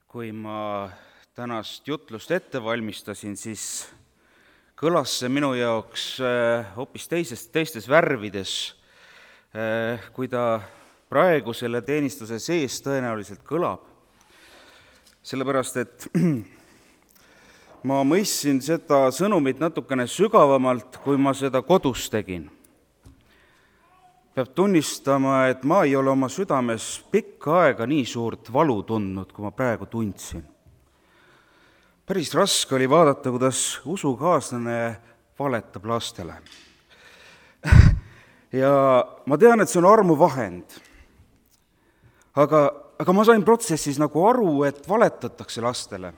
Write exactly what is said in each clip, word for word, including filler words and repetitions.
kui ma tänast jutlust ette valmistasin, siis kõlas see minu jaoks hoopis teises, teistes värvides, kui ta praegu selle teenistuse sees tõenäoliselt kõlab. Sellepärast, et ma mõistsin seda sõnumit natukene sügavamalt, kui ma seda kodus tegin. Peab tunnistama, et ma ei ole oma südames pikka aega nii suurt valu tundnud, kui ma praegu tundsin. Päris raske oli vaadata, kuidas usukaaslane valetab lastele. Ja ma tean, et see on armuvahend. Aga, aga ma sain protsessis nagu aru, et valetatakse lastele.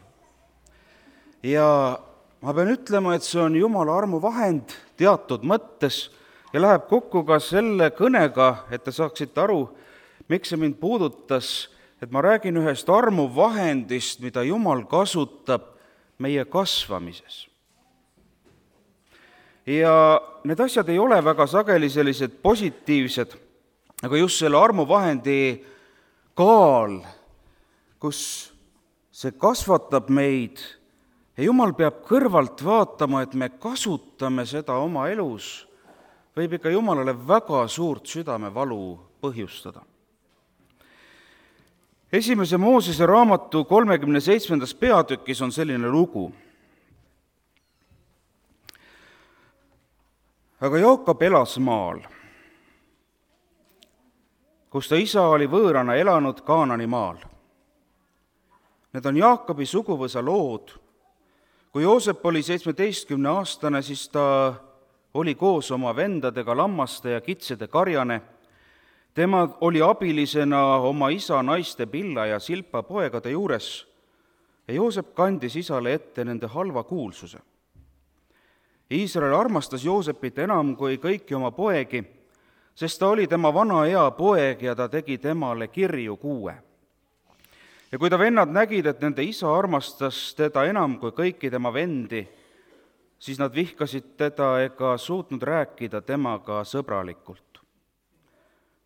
Ja ma pean ütlema, et see on Jumala armuvahend teatud mõttes ja läheb kokku ka selle kõnega, et te saaksite aru, miks see mind puudutas, et ma räägin ühest armuvahendist, mida Jumal kasutab meie kasvamises. Ja need asjad ei ole väga sageli sellised positiivsed, aga just selle armuvahendi kaal, kus see kasvatab meid ja Jumal peab kõrvalt vaatama, et me kasutame seda oma elus, võib ikka Jumalale väga suurt südamevalu põhjustada. Esimese Moosese raamatu kolmekümne seitsmendas peatükis on selline lugu. Aga Jaakop elas maal, kus ta isa oli võõrana elanud Kaanani maal. Need on Jaakobi suguvõsa lood. Kui Joosep oli seitsmeteistkümne aastane, siis ta oli koos oma vendadega lammaste ja kitsede karjane. Tema oli abilisena oma isa naiste Pilla ja Silpa poegade juures ja Joosep kandis isale ette nende halva kuulsuse. Iisrael armastas Joosepit enam kui kõiki oma poegi, sest ta oli tema vana ea poeg ja ta tegi temale kirju kuue. Ja kui ta vennad nägid, et nende isa armastas teda enam kui kõiki tema vendi, siis nad vihkasid teda ega suutnud rääkida temaga sõbralikult.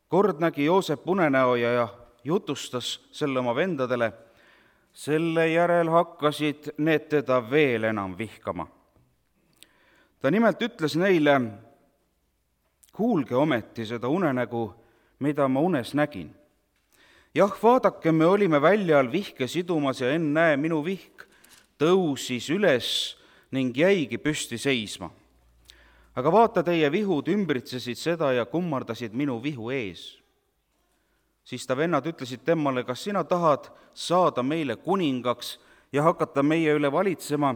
Kord nägi Joosep unenäo ja jutustas selle oma vendadele, selle järel hakkasid need teda veel enam vihkama. Ta nimelt ütles neile, kuulge ometi seda unenägu, mida ma unes nägin. Jah, vaadake, me olime väljal vihke sidumas ja ennäe, minu vihk tõusis üles ning jäigi püsti seisma. Aga vaata, teie vihud ümbritsesid seda ja kummardasid minu vihu ees. Siis ta vennad ütlesid temale, kas sina tahad saada meile kuningaks ja hakata meie üle valitsema?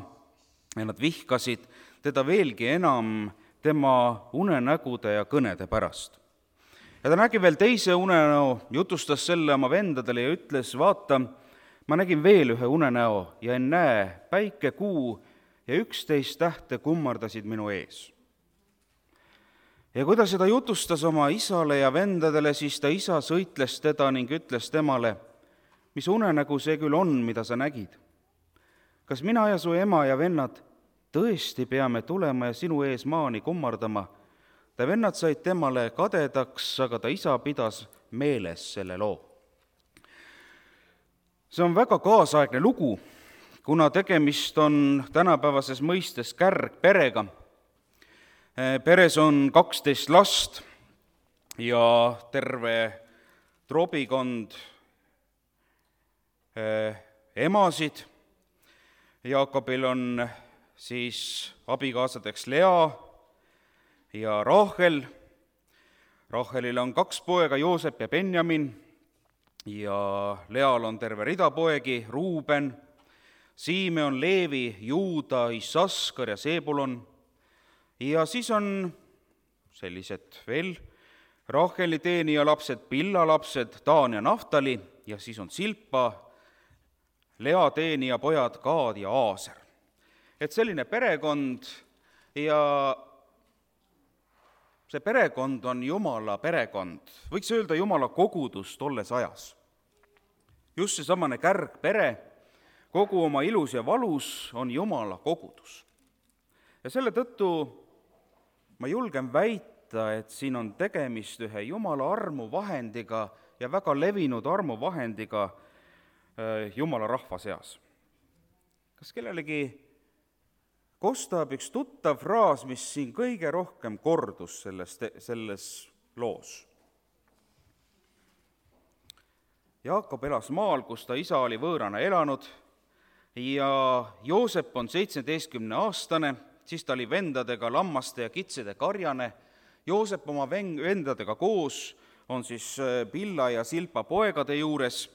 Ja nad vihkasid teda veelgi enam tema unenägude ja kõnede pärast. Ja ta nägi veel teise unenäo, jutustas selle oma vendadele ja ütles, vaata, ma nägin veel ühe unenäo ja ennäe, päike, kuu ja üksteist tähte kummardasid minu ees. Ja kui ta seda jutustas oma isale ja vendadele, siis ta isa sõitles teda ning ütles temale, mis unenägu see küll on, mida sa nägid? Kas mina ja su ema ja vennad tõesti peame tulema ja sinu ees maani kummardama? Ta vennad said temale kadedaks, aga ta isa pidas meeles selle loo. See on väga kaasaegne lugu, kuna tegemist on tänapäevases mõistes kärgperega. Peres on kaksteist last ja terve trobikond emasid. Jaakobil on siis abikaasadeks Lea ja Rahel. Rahelil on kaks poega, Joosep ja Benjamin, ja Leal on terve rida poegi, Ruuben, Simeon, Leevi, Juuda, Issaskar ja Sebulon. Ja siis on sellised veel Raheli teenija lapsed, Pilla lapsed, Daan ja Naftali, ja siis on Silpa, Lea teenija pojad, Gaad ja Aaser. Et selline perekond, ja see perekond on Jumala perekond, võiks öelda Jumala kogudus tolles ajas. Just see samane kärgpere, kogu oma ilus ja valus on Jumala kogudus. Ja selle tõttu ma julgen väita, et siin on tegemist ühe Jumala armuvahendiga ja väga levinud armuvahendiga Jumala rahva seas. Kas kellelegi kostab üks tuttav fraas, mis siin kõige rohkem kordus selles, selles loos? Jaakop elas maal, kus ta isa oli võõrana elanud ja Joosep on seitsmeteistkümne aastane, siis ta oli vendadega lammaste ja kitsede karjane. Joosep oma vendadega koos on siis Pilla ja Silpa poegade juures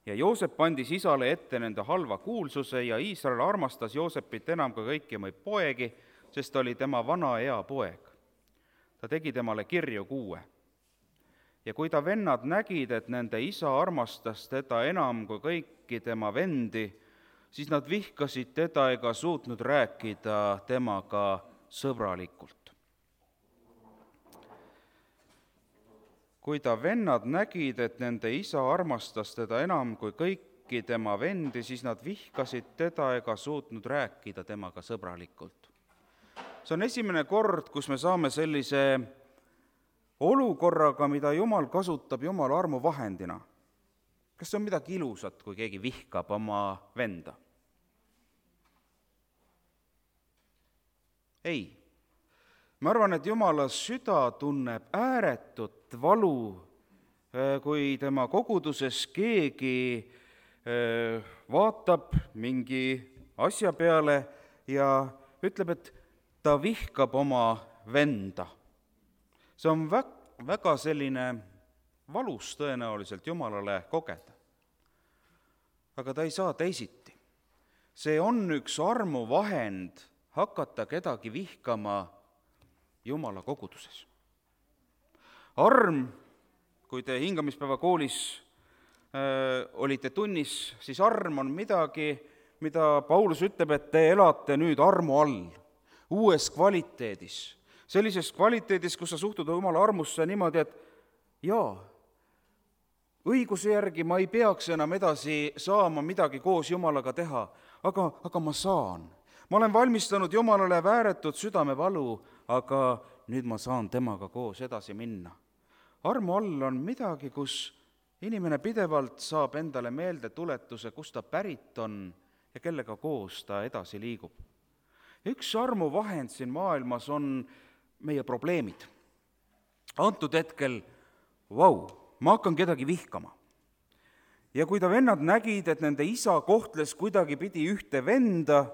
ja Joosep andis isale ette nende halva kuulsuse ja Iisrael armastas Joosepit enam kui kõiki oma poegi, sest ta oli tema vana ea poeg. Ta tegi temale kirju kuue. Ja kui ta vennad nägid, et nende isa armastas teda enam kui kõiki tema vendi, siis nad vihkasid teda ega suutnud rääkida temaga sõbralikult. Kui ta vennad nägid, et nende isa armastas teda enam kui kõiki tema vendi, siis nad vihkasid teda ega suutnud rääkida temaga sõbralikult. See on esimene kord, kus me saame sellise olukorraga, mida Jumal kasutab Jumala armu vahendina. Kas see on midagi ilusat, kui keegi vihkab oma venda? Ei. Ma arvan, et Jumala süda tunneb ääretut valu, kui tema koguduses keegi vaatab mingi asja peale ja ütleb, et ta vihkab oma venda. See on väga selline valus tõenäoliselt Jumalale kogeda. Aga ta ei saa teisiti. See on üks armuvahend hakata kedagi vihkama Jumala koguduses. Arm, kui te hingamispäeva koolis äh, olite tunnis, siis arm on midagi, mida Paulus ütleb, et te elate nüüd armu all, uues kvaliteedis. Sellises kvaliteedis, kus sa suhtud Jumala armusse niimoodi, et jaa, õiguse järgi ma ei peaks enam edasi saama midagi koos Jumalaga teha, aga, aga ma saan. Ma olen valmistanud Jumalale vääretut südamevalu, aga nüüd ma saan temaga koos edasi minna. Armu all on midagi, kus inimene pidevalt saab endale meelde tuletuse, kus ta pärit on ja kellega koos ta edasi liigub. Üks armuvahend siin maailmas on meie probleemid. Antud hetkel, vau, ma hakkan kedagi vihkama. Ja kui ta vennad nägid, et nende isa kohtles kuidagi pidi ühte venda,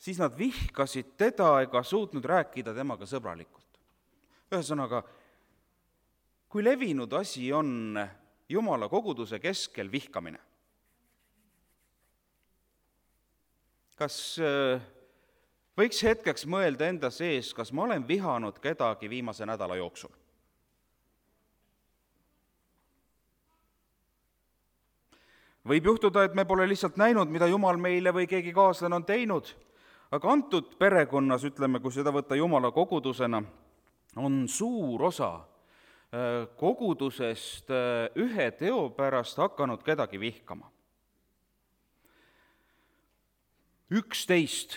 siis nad vihkasid teda ega suutnud rääkida temaga sõbralikult. Ühesõnaga, kui levinud asi on Jumala koguduse keskel vihkamine, kas võiks hetkeks mõelda enda sees, kas ma olen vihanud kedagi viimase nädala jooksul? Võib juhtuda, et me pole lihtsalt näinud, mida Jumal meile või keegi kaaslane on teinud, aga antud perekonnas, ütleme, kui seda võtta Jumala kogudusena, on suur osa kogudusest ühe teo pärast hakanud kedagi vihkama. Üksteist,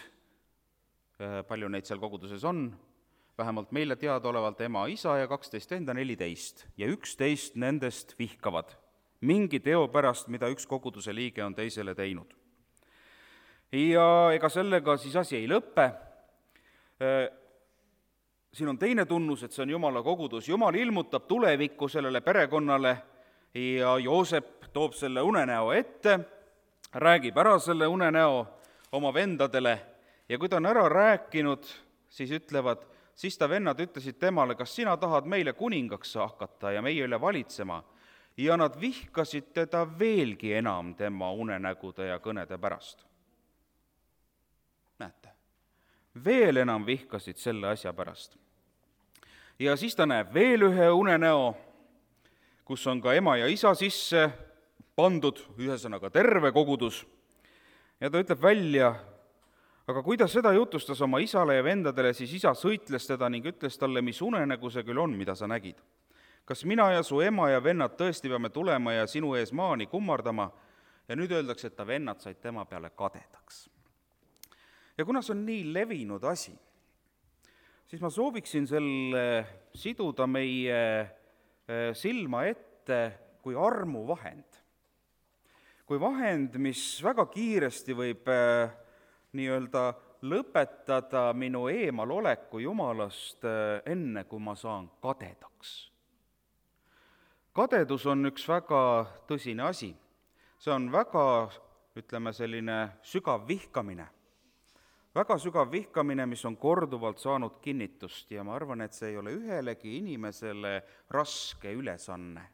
palju neid seal koguduses on, vähemalt meile teadaolevalt ema, isa ja kaksteist enda, neliteist, ja üksteist nendest vihkavad mingi teo pärast, mida üks koguduse liige on teisele teinud. Ja ega sellega siis asi ei lõppe. Siin on teine tunnus, et see on Jumala kogudus. Jumal ilmutab tulevikku sellele perekonnale ja Joosep toob selle unenäo ette, räägib ära selle unenäo oma vendadele ja kui ta on ära rääkinud, siis ütlevad, siis ta vennad ütlesid temale, kas sina tahad meile kuningaks hakata ja meie üle valitsema? Ja nad vihkasid teda veelgi enam tema unenägude ja kõnede pärast. Näete, veel enam vihkasid selle asja pärast. Ja siis ta näeb veel ühe unenäo, kus on ka ema ja isa sisse pandud, ühesõnaga terve kogudus, ja ta ütleb välja, aga kui ta seda jutustas oma isale ja vendadele, siis isa sõitles teda ning ütles talle, mis unenägu see küll on, mida sa nägid. Kas mina ja su ema ja vennad tõesti peame tulema ja sinu ees maani kummardama? Ja nüüd öeldakse, et ta vennad said tema peale kadedaks. Ja kuna see on nii levinud asi, siis ma sooviksin selle siduda meie silma ette kui armuvahend. kui vahend, mis väga kiiresti võib äh, nii-öelda lõpetada minu eemaloleku Jumalast äh, enne, kui ma saan kadedaks. Kadedus on üks väga tõsine asi. See on väga, ütleme, selline sügav vihkamine. Väga sügav vihkamine, mis on korduvalt saanud kinnitust ja ma arvan, et see ei ole ühelegi inimesele raske ülesanne.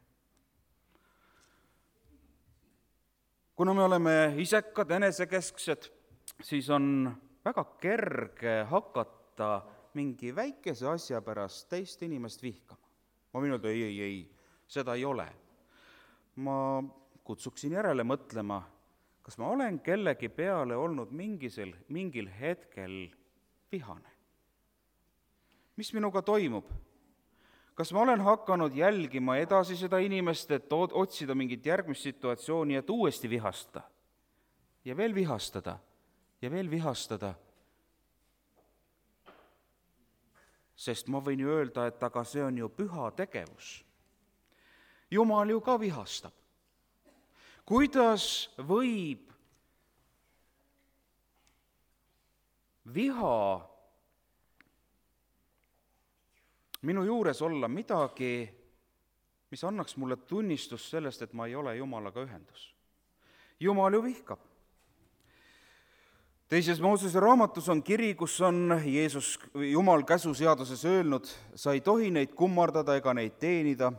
Kuna me oleme isekad, enesekesksed, siis on väga kerge hakata mingi väikese asja pärast teist inimest vihkama. Ma võin öelda, ei, ei, ei, seda ei ole. Ma kutsuksin järele mõtlema, kas ma olen kellegi peale olnud mingisel, mingil hetkel vihane. Mis minuga toimub? Kas ma olen hakanud jälgima edasi seda inimest, et otsida mingit järgmist situatsiooni, et uuesti vihastada? Ja veel vihastada, ja veel vihastada. Sest ma võin ju öelda, et aga see on ju püha tegevus. Jumal ju ka vihastab. Kuidas võib viha minu juures olla midagi, mis annaks mulle tunnistust sellest, et ma ei ole Jumalaga ühendus? Jumal ju vihkab. Teises Moosese raamatus on kiri, kus on Jeesus, Jumal käsuseaduses öelnud, sa ei tohi neid kummardada ega neid teenida,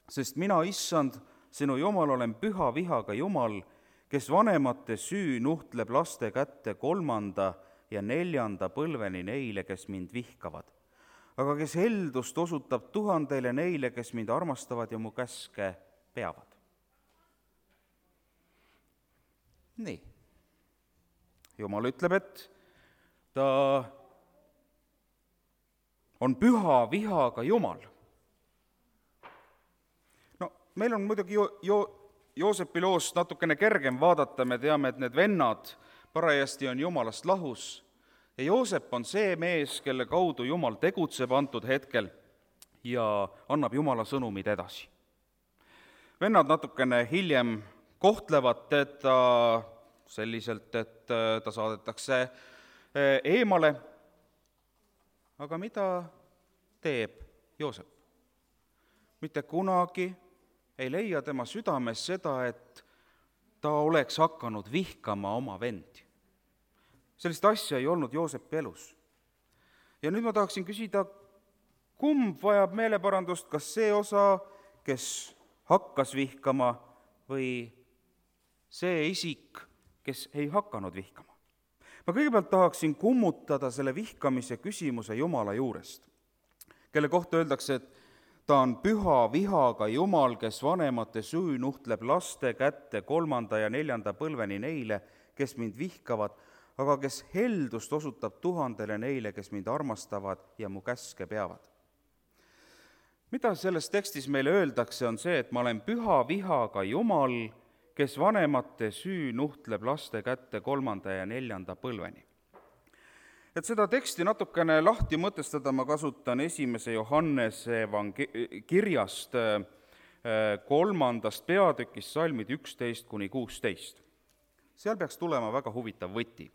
sest mina, issand, sinu Jumal, olen püha vihaga Jumal, kes vanemate süü nuhtleb laste kätte kolmanda ja neljanda põlveni neile, kes mind vihkavad. Aga kes heldust osutab tuhandeile neile, kes mind armastavad ja mu käske peavad. Nii. Jumal ütleb, et ta on püha vihaga Jumal. No, meil on muidugi jo, jo, Joosepi loost natukene kergem vaadata, me teame, et need vennad parajasti on Jumalast lahus. Ja Joosep on see mees, kelle kaudu Jumal tegutseb antud hetkel ja annab Jumala sõnumid edasi. Vennad natukene hiljem kohtlevad teda selliselt, et ta saadetakse eemale. Aga mida teeb Joosep? Mitte kunagi ei leia tema südames seda, et ta oleks hakanud vihkama oma vendi. Sellist asja ei olnud Joosepi elus. Ja nüüd ma tahaksin küsida, kumb vajab meeleparandust, kas see osa, kes hakkas vihkama, või see isik, kes ei hakanud vihkama? Ma kõigepealt tahaksin kummutada selle vihkamise küsimuse Jumala juurest, kelle kohta öeldakse, et ta on püha vihaga Jumal, kes vanemate süü nuhtleb laste kätte kolmanda ja neljanda põlveni neile, kes mind vihkavad, aga kes heldust osutab tuhandele neile, kes mind armastavad ja mu käske peavad. Mida selles tekstis meile öeldakse, on see, et ma olen püha vihaga Jumal, kes vanemate süü nuhtleb laste kätte kolmanda ja neljanda põlveni. Et seda teksti natukene lahti mõtestada, ma kasutan esimese Johannese evange- kirjast kolmandast peatükist salmid üksteist kuni kuusteist. Seal peaks tulema väga huvitav võti.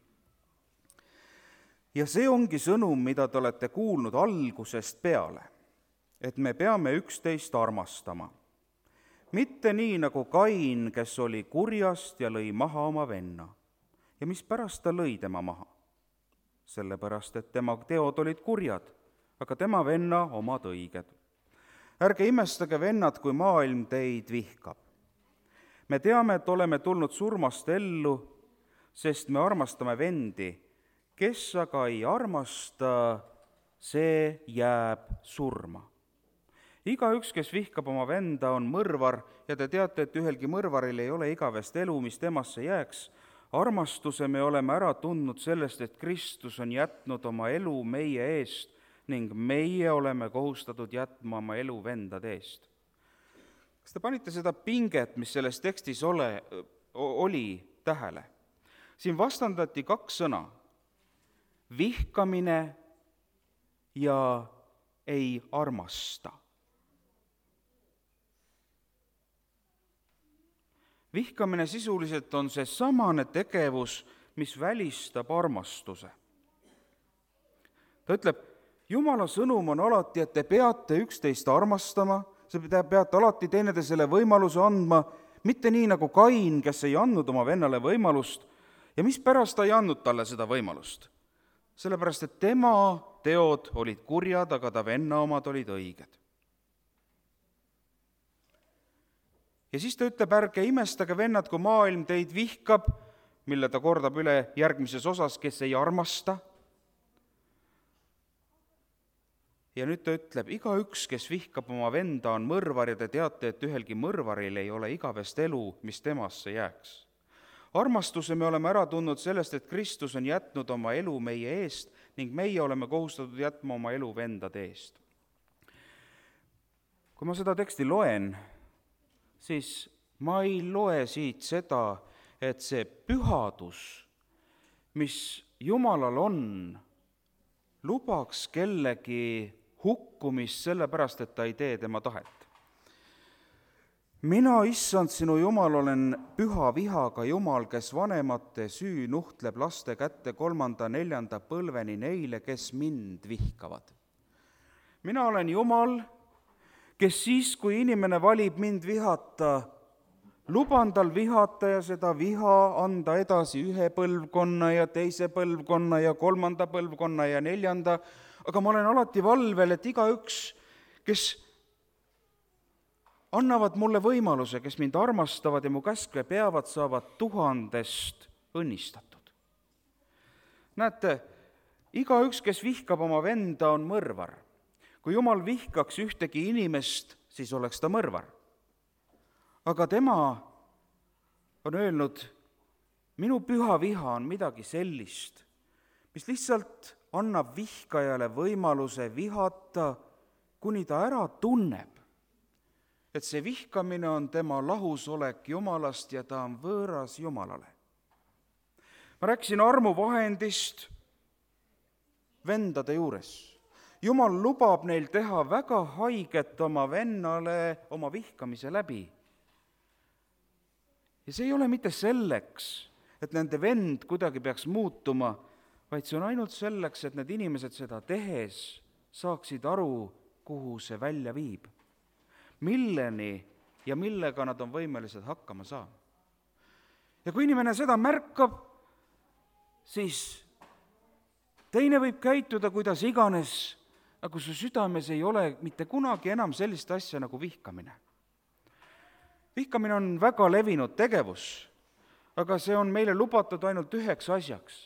Ja see ongi sõnum, mida te olete kuulnud algusest peale, et me peame üksteist armastama. Mitte nii nagu Kain, kes oli kurjast ja lõi maha oma venna. Ja mispärast ta lõi tema maha? Sellepärast, et tema teod olid kurjad, aga tema venna omad õiged. Ärge imestage, vennad, kui maailm teid vihkab. Me teame, et oleme tulnud surmast ellu, sest me armastame vendi. Kes aga ei armasta, see jääb surma. Igaüks, kes vihkab oma venda, on mõrvar ja te teate, et ühelgi mõrvaril ei ole igavest elu, mis temasse jääks. Armastuse me oleme ära tundnud sellest, et Kristus on jätnud oma elu meie eest ning meie oleme kohustatud jätma oma elu vendade eest. Kas te panite seda pinget, mis selles tekstis ole, oli tähele? Siin vastandati kaks sõna. Vihkamine ja ei armasta. vihkamine sisuliselt on see samane tegevus, mis välistab armastuse. Ta ütleb, Jumala sõnum on alati, et te peate üksteist armastama, te peate alati teineteisele võimaluse andma, mitte nii nagu Kain, kes ei andnud oma vennale võimalust ja mispärast ta ei andnud talle seda võimalust. Sellepärast, et tema teod olid kurjad, aga ta venna omad olid õiged. Ja siis ta ütleb, ärge imestage, vennad, kui maailm teid vihkab, mille ta kordab üle järgmises osas, kes ei armasta. Ja nüüd ta ütleb, igaüks, kes vihkab oma venda, on mõrvar ja te teate, et ühelgi mõrvaril ei ole igavest elu, mis temasse jääks. Armastuse me oleme ära tundnud sellest, et Kristus on jätnud oma elu meie eest ning meie oleme kohustatud jätma oma elu vendade eest. Kui ma seda teksti loen, siis ma ei loe siit seda, et see pühadus, mis Jumalal on, lubaks kellegi hukkumist sellepärast, et ta ei tee tema tahet. Mina, issand, sinu Jumal, olen püha vihaga Jumal, kes vanemate süü nuhtleb laste kätte kolmanda, neljanda põlveni neile, kes mind vihkavad. Mina olen Jumal, kes siis, kui inimene valib mind vihata, luban tal vihata ja seda viha anda edasi ühe põlvkonna ja teise põlvkonna ja kolmanda põlvkonna ja neljanda, aga ma olen alati valvel, et igaüks, kes annavad mulle võimaluse, kes mind armastavad ja mu käske peavad, saavad tuhandest õnnistatud. Näete, igaüks, kes vihkab oma venda, on mõrvar. Kui Jumal vihkaks ühtegi inimest, siis oleks ta mõrvar. Aga tema on öelnud, minu püha viha on midagi sellist, mis lihtsalt annab vihkajale võimaluse vihata, kuni ta ära tunneb, et see vihkamine on tema lahusolek Jumalast ja ta on võõras Jumalale. Ma rääkisin armuvahendist vendade juures. Jumal lubab neil teha väga haiget oma vennale oma vihkamise läbi. Ja see ei ole mitte selleks, et nende vend kuidagi peaks muutuma, vaid see on ainult selleks, et need inimesed seda tehes saaksid aru, kuhu see välja viib. Milleni ja millega nad on võimelised hakkama saama. Ja kui inimene seda märkab, siis teine võib käituda kuidas iganes, aga su südames ei ole mitte kunagi enam sellist asja nagu vihkamine. Vihkamine on väga levinud tegevus, aga see on meile lubatud ainult üheks asjaks.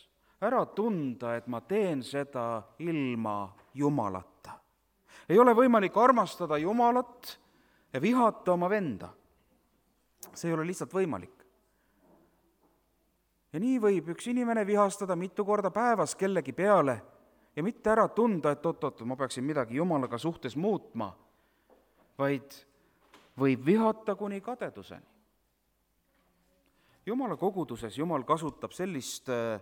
Ära tunda, et ma teen seda ilma Jumalata. Ei ole võimalik armastada Jumalat ja vihata oma venda. See ei ole lihtsalt võimalik. Ja nii võib üks inimene vihastada mitu korda päevas kellegi peale ja mitte ära tunda, et oot-oot, ma peaksin midagi Jumalaga suhtes muutma, vaid võib vihata kuni kadeduseni. Jumala koguduses Jumal kasutab sellist äh,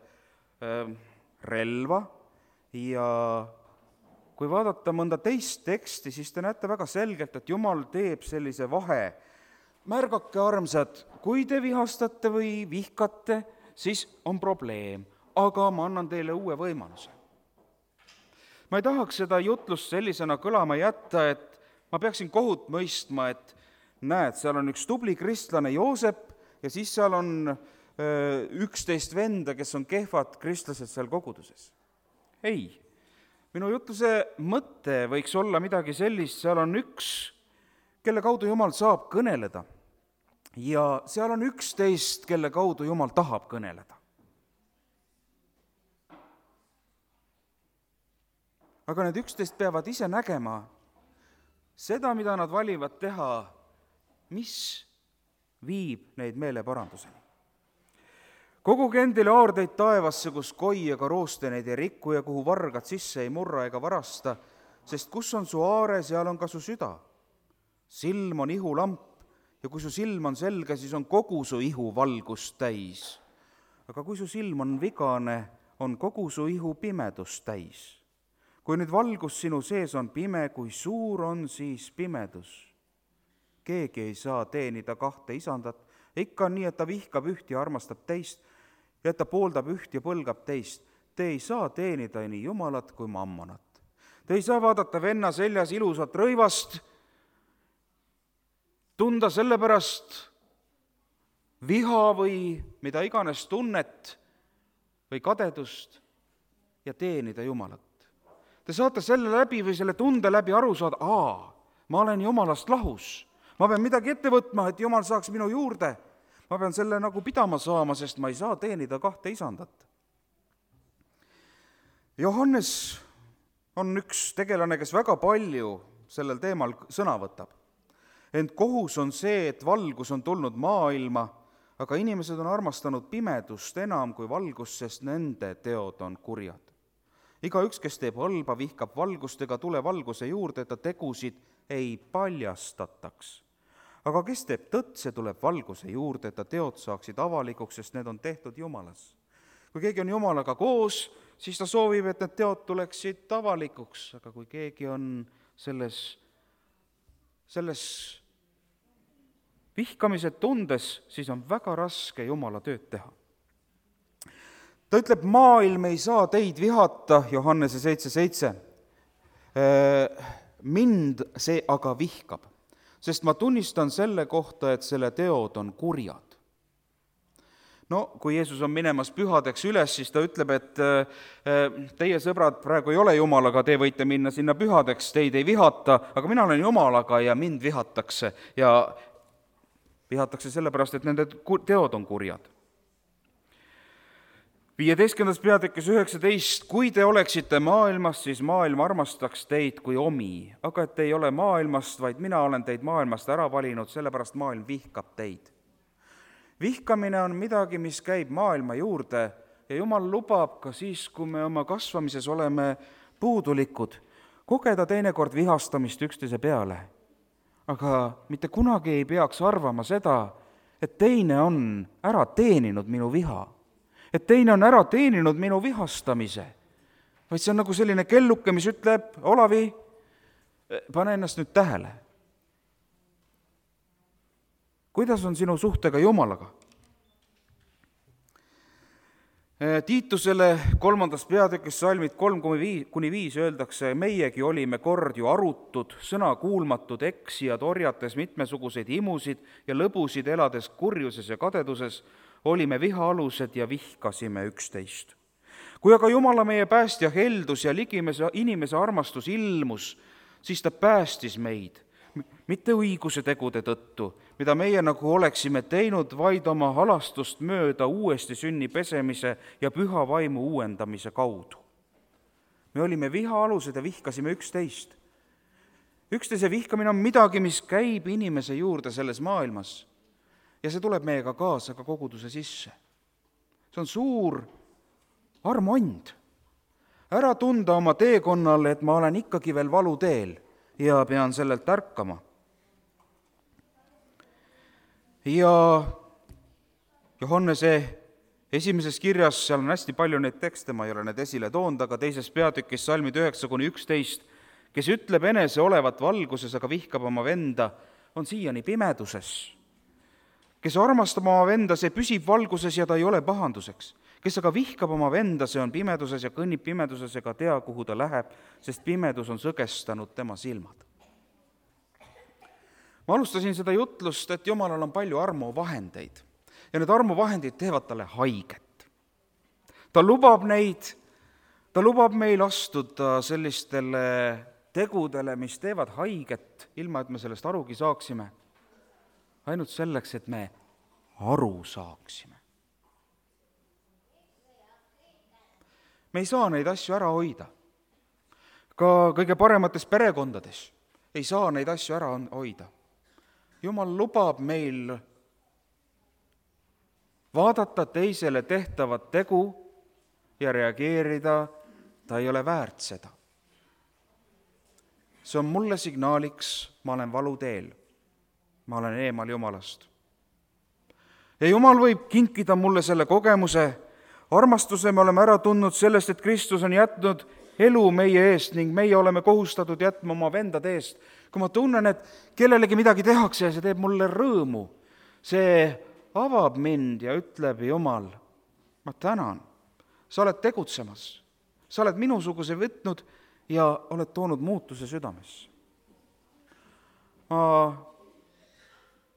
relva ja kui vaadata mõnda teist teksti, siis te näete väga selgelt, et Jumal teeb sellise vahe. Märgake, armsad, kui te vihastate või vihkate, siis on probleem, aga ma annan teile uue võimaluse. Ma ei tahaks seda jutlust sellisena kõlama jätta, et ma peaksin kohut mõistma, et näed, seal on üks tubli kristlane Joosep ja siis seal on öö, üksteist venda, kes on kehvad kristlased seal koguduses. Ei, minu jutluse mõte võiks olla midagi sellist, seal on üks, kelle kaudu Jumal saab kõneleda ja seal on üksteist, kelle kaudu Jumal tahab kõneleda. Aga need üksteist peavad ise nägema seda, mida nad valivad teha, mis viib neid meeleparanduseni. Koguge endile aardeid taevasse, kus koi ega rooste neid ei riku ja kuhu vargad sisse ei murra ega varasta, sest kus on su aare, seal on ka su süda. Silm on ihulamp ja kui su silm on selge, siis on kogu su ihu valgust täis. Aga kui su silm on vigane, on kogu su ihu pimedust täis. Kui nüüd valgus sinu sees on pime, kui suur on siis pimedus. Keegi ei saa teenida kahte isandat, ikka on nii, et ta vihkab üht ja armastab teist ja et ta pooldab üht ja põlgab teist. Te ei saa teenida nii Jumalat kui mammonat. Te ei saa vaadata venna seljas ilusat rõivast, tunda selle pärast viha või mida iganes tunnet või kadedust ja teenida Jumalat. Te saate selle läbi või selle tunde läbi aru saada, aa, ma olen Jumalast lahus. Ma pean midagi ette võtma, et Jumal saaks minu juurde. Ma pean selle nagu pidama saama, sest ma ei saa teenida kahte isandat. Johannes on üks tegelane, kes väga palju sellel teemal sõna võtab. Ent kohus on see, et valgus on tulnud maailma, aga inimesed on armastanud pimedust enam kui valgust, sest nende teod on kurjad. Igaüks, kes teeb halba, vihkab valgust ega tule valguse juurde, et ta tegusid ei paljastataks. Aga kes teeb tõtt, see tuleb valguse juurde, et ta teod saaksid avalikuks, sest need on tehtud Jumalas. Kui keegi on Jumalaga koos, siis ta soovib, et need teod tuleksid avalikuks, aga kui keegi on selles, selles vihkamise tundes, siis on väga raske Jumala tööd teha. Ta ütleb, maailm ei saa teid vihata, Johannese seitse seitse. Mind see aga vihkab, sest ma tunnistan selle kohta, et selle teod on kurjad. No, kui Jeesus on minemas pühadeks üles, siis ta ütleb, et teie sõbrad praegu ei ole Jumalaga, te võite minna sinna pühadeks, teid ei vihata, aga mina olen Jumalaga ja mind vihatakse ja vihatakse sellepärast, et nende teod on kurjad. viieteistkümnendas peatükis üheksateist, kui te oleksite maailmast, siis maailm armastaks teid kui omi, aga et te ei ole maailmast, vaid mina olen teid maailmast ära valinud, sellepärast maailm vihkab teid. Vihkamine on midagi, mis käib maailma juurde ja Jumal lubab ka siis, kui me oma kasvamises oleme puudulikud, kogeda teinekord vihastamist üksteise peale. Aga mitte kunagi ei peaks arvama seda, et teine on ära teeninud minu viha, et teine on ära teeninud minu vihastamise, vaid see on nagu selline kelluke, mis ütleb, Olavi, pane ennast nüüd tähele. Kuidas on sinu suhtega Jumalaga? Tiitusele kolmandas peatükis salmid kolm kuni viis öeldakse, meiegi olime kord ju arutud, sõna kuulmatud, eksijad, orjates mitmesuguseid imusid ja lõbusid, elades kurjuses ja kadeduses, olime vihaalused ja vihkasime üksteist. Kui aga Jumala meie päästja heldus ja ligimese inimese armastus ilmus, siis ta päästis meid, mitte õiguse tegude tõttu, mida meie nagu oleksime teinud, vaid oma halastust mööda uuesti sünni pesemise ja püha vaimu uuendamise kaudu. Me olime vihaalused ja vihkasime üksteist. Üksteise vihkamine on midagi, mis käib inimese juurde selles maailmas ja see tuleb meiega kaasa ka koguduse sisse. See on suur armuand. Ära tunda oma teekonnal, et ma olen ikkagi veel valuteel ja pean sellelt ärkama. Ja Johannese esimeses kirjas, seal on hästi palju neid tekste, ma ei ole need esile toonud, aga teises peatükis salmid üheksa kuni üksteist, kes ütleb enese olevat valguses, aga vihkab oma venda, on siiani pimeduses. Kes armastab oma venda, see püsib valguses ja ta ei ole pahanduseks. Kes aga vihkab oma venda, see on pimeduses ja kõnnib pimeduses ega tea, kuhu ta läheb, sest pimedus on sõgestanud tema silmad. Ma alustasin seda jutlust, et Jumalal on palju armuvahendeid ja need armuvahendid teevad talle haiget. Ta lubab neid, ta lubab meil astuda sellistele tegudele, mis teevad haiget, ilma et me sellest arugi saaksime, ainult selleks, et me aru saaksime. Me ei saa neid asju ära hoida. Ka kõige paremates perekondades ei saa neid asju ära hoida. Jumal lubab meil vaadata teisele tehtavat tegu ja reageerida, ta ei ole väärt seda. See on mulle signaaliks, ma olen valuteel, ma olen eemal Jumalast. Ja Jumal võib kinkida mulle selle kogemuse, armastuse me oleme ära tundnud sellest, et Kristus on jätnud elu meie eest ning meie oleme kohustatud jätma oma vendade eest. Kui ma tunnen, et kellelegi midagi tehakse ja see teeb mulle rõõmu, see avab mind ja ütleb, Jumal, ma tänan, sa oled tegutsemas, sa oled minusuguse võtnud ja oled toonud muutuse südamesse. Ma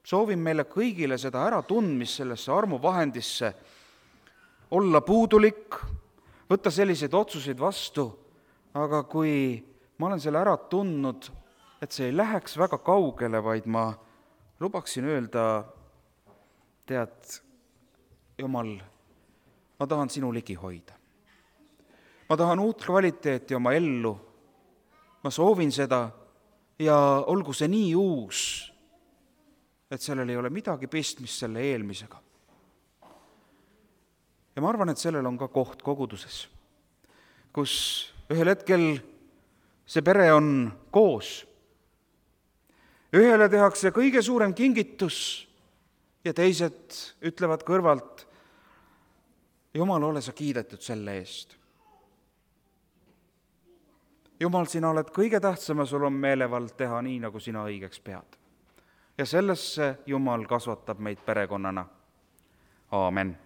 soovin meile kõigile seda äratundmist sellesse armuvahendisse, olla puudulik, võtta selliseid otsuseid vastu, aga kui ma olen selle ära tundnud, et see ei läheks väga kaugele, vaid ma lubaksin öelda, tead, Jumal, ma tahan sinu ligi hoida. Ma tahan uut kvaliteeti oma ellu, ma soovin seda ja olgu see nii uus, et sellel ei ole midagi pistmist selle eelmisega. Ja ma arvan, et sellel on ka koht koguduses, kus ühel hetkel see pere on koos. Ühele tehakse kõige suurem kingitus ja teised ütlevad kõrvalt, Jumal, ole sa kiidetud selle eest. Jumal, sina oled kõige tähtsam ja sul on meelevald teha nii, nagu sina õigeks pead. Ja sellesse Jumal kasvatab meid perekonnana. Aamen.